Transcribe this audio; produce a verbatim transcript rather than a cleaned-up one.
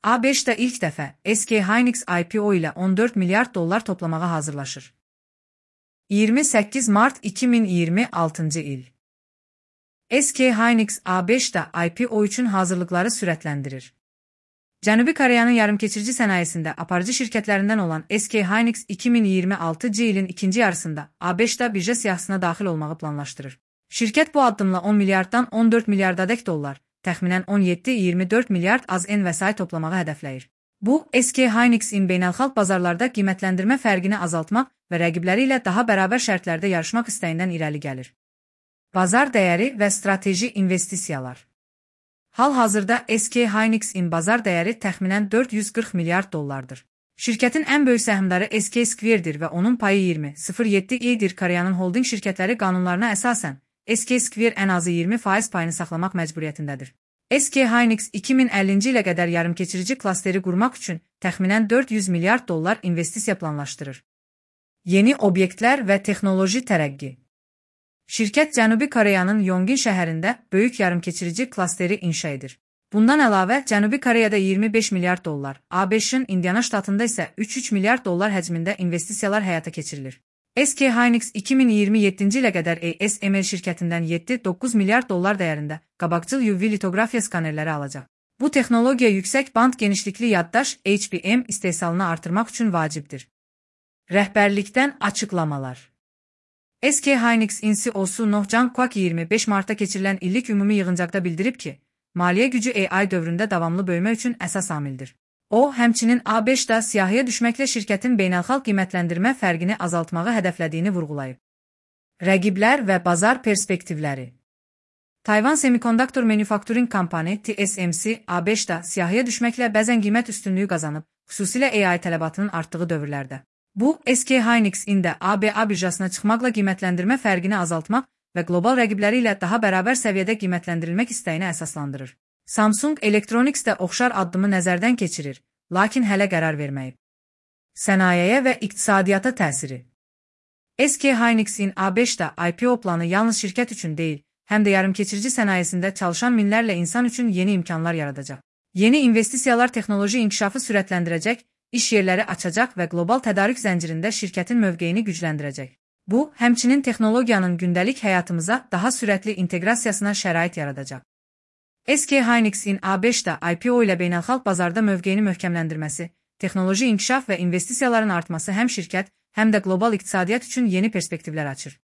A beşdə ilk dəfə S K Hynix I P O ilə on dörd milyard dollar toplamağa hazırlaşır. iyirmi səkkiz mart iki min iyirmi altıncı il. S K Hynix A beşdə I P O üçün hazırlıqları sürətləndirir. Cənubi Koreyanın yarımkeçirici sənayesində aparıcı şirkətlərindən olan S K Hynix iki min iyirmi altıncı ilin ikinci yarısında A beşdə birja siyahısına daxil olmağı planlaşdırır. Şirkət bu addımla on milyarddan on dörd milyardadək dollar, təxminən on yeddi iyirmi dörd milyard az N vəsait toplamağı hədəfləyir. Bu, S K Hynix'in beynəlxalq bazarlarda qiymətləndirmə fərqini azaltmaq və rəqibləri ilə daha bərabər şərtlərdə yarışmaq istəyindən irəli gəlir. Bazar dəyəri və strateji investisiyalar. Hal-hazırda S K Hynix'in bazar dəyəri təxminən dörd yüz qırx milyard dollardır. Şirkətin ən böyük səhmdarı S K Square'dir və onun payı iyirmi nöqtə yeddi İdir. Koreyanın holding şirkətləri qanunlarına əsasən S K Square ən azı iyirmi faiz payını saxlamaq məcburiyyətindədir. S K Hynix iki min əllinci ilə qədər yarımkeçirici klasteri qurmaq üçün təxminən dörd yüz milyard dollar investisiya planlaşdırır. Yeni obyektlər və texnoloji tərəqqi. Şirkət Cənubi Koreyanın Yongin şəhərində böyük yarımkeçirici klasteri inşa edir. Bundan əlavə, Cənubi Koreyada iyirmi beş milyard dollar, A beşin Indiana ştatında isə üç nöqtə üç milyard dollar həcmində investisiyalar həyata keçirilir. S K Hynix iki min iyirmi yeddinci ilə qədər A S M L şirkətindən yeddi doqquz milyard dollar dəyərində qabaqcıl U V litografiya skanerləri alacaq. Bu texnologiya yüksək band genişlikli yaddaş H B M istehsalını artırmaq üçün vacibdir. Rəhbərlikdən açıqlamalar. S K Hynix'in C E O'su Noh Jang-kwak iyirmi beş martda keçirilən illik ümumi yığıncaqda bildirib ki, maliyyə gücü A I dövründə davamlı böyümə üçün əsas amildir. O, həmçinin A beşdə siyahıya düşməklə şirkətin beynəlxalq qiymətləndirmə fərqini azaltmağı hədəflədiyini vurğulayıb. Rəqiblər və bazar perspektivləri. Tayvan Semiconductor Manufacturing Company T S M C A beşdə siyahıya düşməklə bəzən qiymət üstünlüyü qazanıb, xüsusilə A I tələbatının artdığı dövrlərdə. Bu, S K Hynix'in də A B A birjasına çıxmaqla qiymətləndirmə fərqini azaltmaq və qlobal rəqibləri ilə daha bərabər səviyyədə qiymətləndirilmək istəyini əsaslandırır. Samsung Electronics də oxşar addımı nəzərdən keçirir, lakin hələ qərar verməyib. Sənayeyə və iqtisadiyyata təsiri. S K Hynix'in A beşdə I P O planı yalnız şirkət üçün deyil, həm də yarımkeçirici sənayesində çalışan minlərlə insan üçün yeni imkanlar yaradacaq. Yeni investisiyalar texnoloji inkişafı sürətləndirəcək, iş yerləri açacaq və qlobal tədarük zəncirində şirkətin mövqeyini gücləndirəcək. Bu, həmçinin texnologiyanın gündəlik həyatımıza daha sürətli inteqrasiyasına şərait yaradacaq. S K Hynix'in A beşdə I P O ilə beynəlxalq bazarda mövqeyini möhkəmləndirməsi, texnoloji inkişaf və investisiyaların artması həm şirkət, həm də qlobal iqtisadiyyat üçün yeni perspektivlər açır.